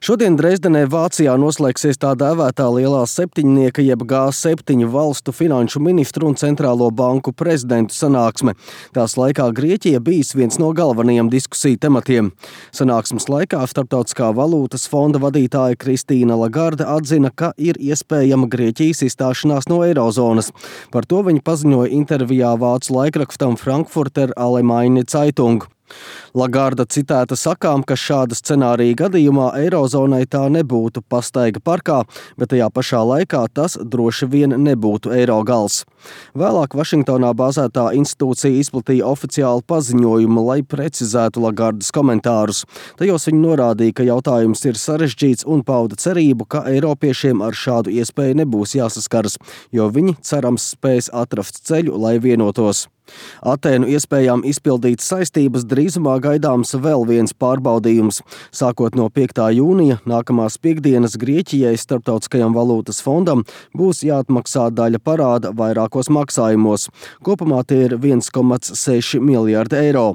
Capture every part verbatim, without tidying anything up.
Šodien Dresdenē, Vācijā noslēgsies tā dēvētā lielā septiņnieka jeb G septiņu valstu finanšu ministru un centrālo banku prezidentu sanāksme. Tās laikā Grieķija bijis viens no galvenajiem diskusiju tematiem. Sanāksmes laikā Starptautiskā valūtas fonda vadītāja Kristīna Lagarde atzina, ka ir iespējama Grieķijas izstāšanās no eirozonas. Par to viņa paziņoja intervijā vācu laikrakstam Frankfurter Allgemeine Zeitung. Lagarda citēta sakām, ka šāda scenārija gadījumā eirozonai tā nebūtu pastaiga parkā, bet tajā pašā laikā tas droši vien nebūtu eiro gals. Vēlāk Vašingtonā bāzētā institūcija izplatīja oficiālu paziņojumu, lai precizētu Lagardas komentārus. Tajos viņa norādīja, ka jautājums ir sarežģīts un pauda cerību, ka eiropiešiem ar šādu iespēju nebūs jāsaskaras, jo viņi cerams spēs atrast ceļu, lai vienotos. Atēnu iespējām izpildīt saistības drīzumā gaidāms vēl viens pārbaudījums. Sākot no piektā jūnija nākamās piekdienas Grieķijai Starptautiskajam valūtas fondam būs jāatmaksā daļa parāda vairākos maksājumos. Kopumā tie ir viens komats seši miljardi eiro.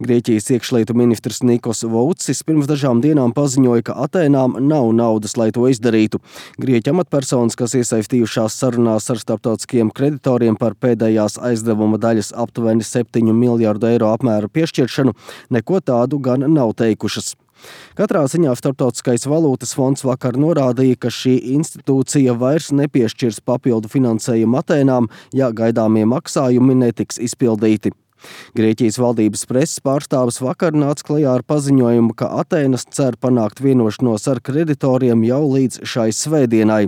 Grieķijas iekšlietu ministrs Nikos Voucis pirms dažām dienām paziņoja, ka Atēnām nav naudas, lai to izdarītu. Grieķu amatpersonas, kas iesaistījušās sarunās ar starptautiskiem kreditoriem par pēdējās aizdevuma daļas aptuveni septiņu miljardu eiro apmēra piešķiršanu, neko tādu gan nav teikušas. Katrā ziņā Starptautiskais valūtas fonds vakar norādīja, ka šī institūcija vairs nepiešķirs papildu finansējumu Atēnām, ja gaidāmie maksājumi netiks izpildīti. Grieķijas valdības preses pārstāvis vakar nāca klajā ar paziņojumu, ka Atēnas cer panākt vienošanos ar kreditoriem jau līdz šai svētdienai.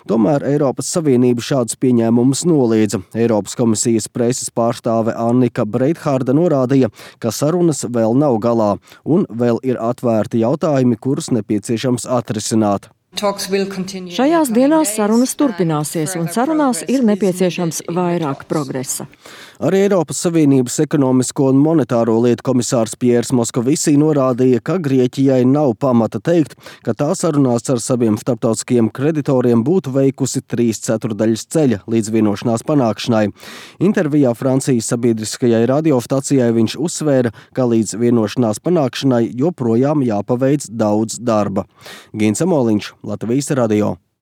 Tomēr Eiropas Savienība šādus pieņēmumus noliedza. Eiropas komisijas preses pārstāve Annika Breitharda norādīja, ka sarunas vēl nav galā un vēl ir atvērti jautājumi, kurus nepieciešams atrisināt. Šajās dienās sarunas turpināsies, un sarunās ir nepieciešams vairāk progresa. Arī Eiropas Savienības ekonomisko un monetāro lietu komisārs Piers Moskovisī norādīja, ka Grieķijai nav pamata teikt, ka tā sarunās ar saviem starptautiskiem kreditoriem būtu veikusi trīs ceturdaļas ceļa līdz vienošanās panākšanai. Intervijā Francijas sabiedriskajai radiostacijai viņš uzsvēra, ka līdz vienošanās panākšanai joprojām jāpaveic daudz darba. Gins Amoliņš, Latvijas radio.